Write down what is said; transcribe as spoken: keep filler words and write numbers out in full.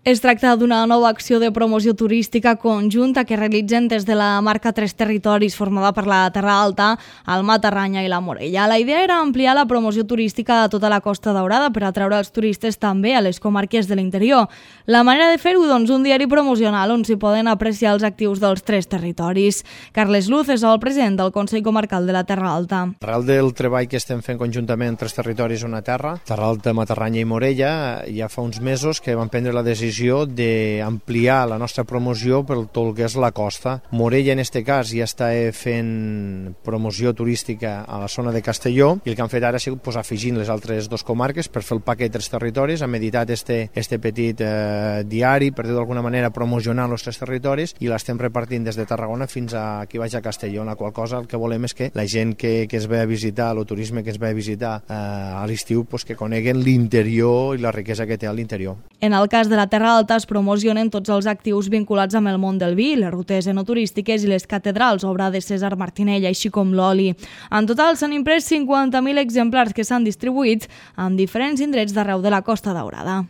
Es tracta d'una nova acció de promoció turística conjunta que realitzen des de la marca Tres Territoris, formada per la Terra Alta, el Matarranya i la Morella. La idea era ampliar la promoció turística a tota la Costa Daurada per atraure els turistes també a les comarques de l'interior. La manera de fer-ho, doncs, un diari promocional on s'hi poden apreciar els actius dels tres territoris. Carles Luz és el president del Consell Comarcal de la Terra Alta. Arrel del treball que estem fent conjuntament Tres Territoris una terra, Terra Alta, Matarranya i Morella, ja fa uns mesos que vam prendre la decisió d'ampliar la nostra promoció per tot el que és la costa. Morella, en aquest cas, ja està fent promoció turística a la zona de Castelló i el que han fet ara ha sigut pues, afegint les altres dues comarques per fer el paquet dels territoris. Hem editat este, este petit eh, diari per dir d'alguna manera promocionar els tres territoris i l'estem repartint des de Tarragona fins a aquí baix a Castelló, en la qual cosa el que volem és que la gent que, que es ve a visitar, el turisme que es ve a visitar eh, a l'estiu, pues, que coneguen l'interior i la riquesa que té a l'interior. En el cas de la Terra Alta es promocionen tots els actius vinculats amb el món del vi, les rutes enoturístiques i les catedrals, obra de César Martinell, així com l'oli. En total s'han imprès cinquanta mil exemplars que s'han distribuït en diferents indrets d'arreu de la Costa Daurada.